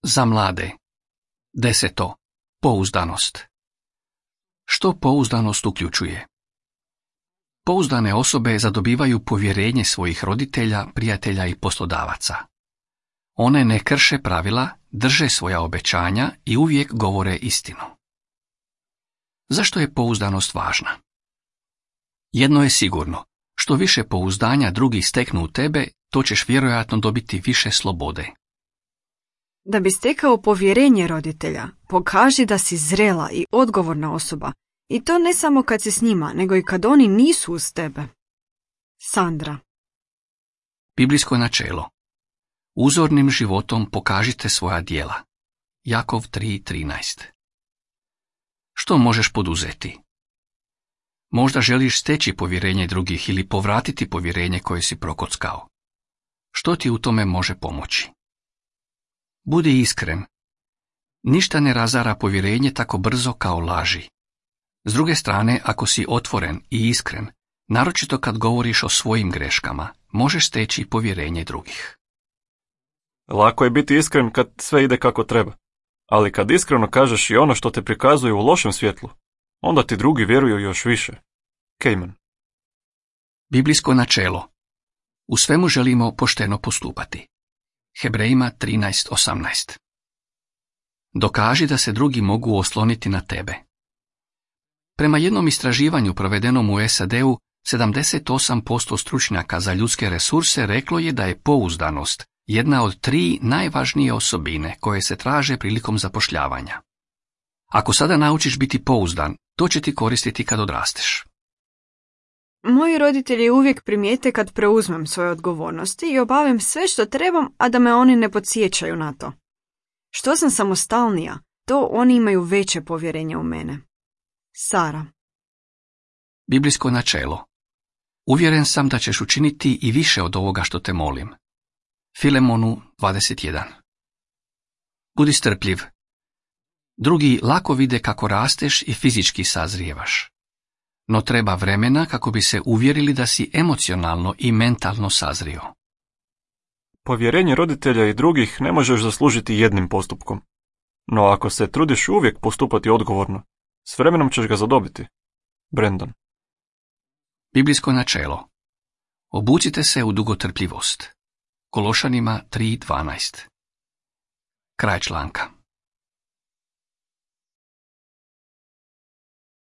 Za mlade. 10. Pouzdanost. Što pouzdanost uključuje? Pouzdane osobe zadobivaju povjerenje svojih roditelja, prijatelja i poslodavaca. One ne krše pravila, drže svoja obećanja i uvijek govore istinu. Zašto je pouzdanost važna? Jedno je sigurno, što više pouzdanja drugi steknu u tebe, to ćeš vjerojatno dobiti više slobode. Da bi stekao povjerenje roditelja, pokaži da si zrela i odgovorna osoba. I to ne samo kad si s njima, nego i kad oni nisu uz tebe. Sandra. Biblijsko načelo. Uzornim životom pokažite svoja djela. Jakov 3:13. Što možeš poduzeti? Možda želiš steći povjerenje drugih ili povratiti povjerenje koje si prokockao. Što ti u tome može pomoći? Budi iskren. Ništa ne razara povjerenje tako brzo kao laži. S druge strane, ako si otvoren i iskren, naročito kad govoriš o svojim greškama, možeš steći povjerenje drugih. Lako je biti iskren kad sve ide kako treba, ali kad iskreno kažeš i ono što te prikazuje u lošem svjetlu, onda ti drugi vjeruju još više. Cayman. Biblijsko načelo. U svemu želimo pošteno postupati. Hebrejima 13:18. Dokaži da se drugi mogu osloniti na tebe. Prema jednom istraživanju provedenom u SAD-u, 78% stručnjaka za ljudske resurse reklo je da je pouzdanost jedna od 3 najvažnije osobine koje se traže prilikom zapošljavanja. Ako sada naučiš biti pouzdan, to će ti koristiti kad odrasteš. Moji roditelji uvijek primijete kad preuzmem svoje odgovornosti i obavim sve što trebam, a da me oni ne podsjećaju na to. Što sam samostalnija, to oni imaju veće povjerenje u mene. Sara. Biblijsko načelo. Uvjeren sam da ćeš učiniti i više od ovoga što te molim. Filemonu 21. Budi strpljiv. Drugi lako vide kako rasteš i fizički sazrijevaš. No treba vremena kako bi se uvjerili da si emocionalno i mentalno sazrio. Povjerenje roditelja i drugih ne možeš zaslužiti jednim postupkom. No ako se trudiš uvijek postupati odgovorno, s vremenom ćeš ga zadobiti. Brandon. Biblijsko načelo. Obucite se u dugotrpljivost. Kološanima 3:12. Kraj članka.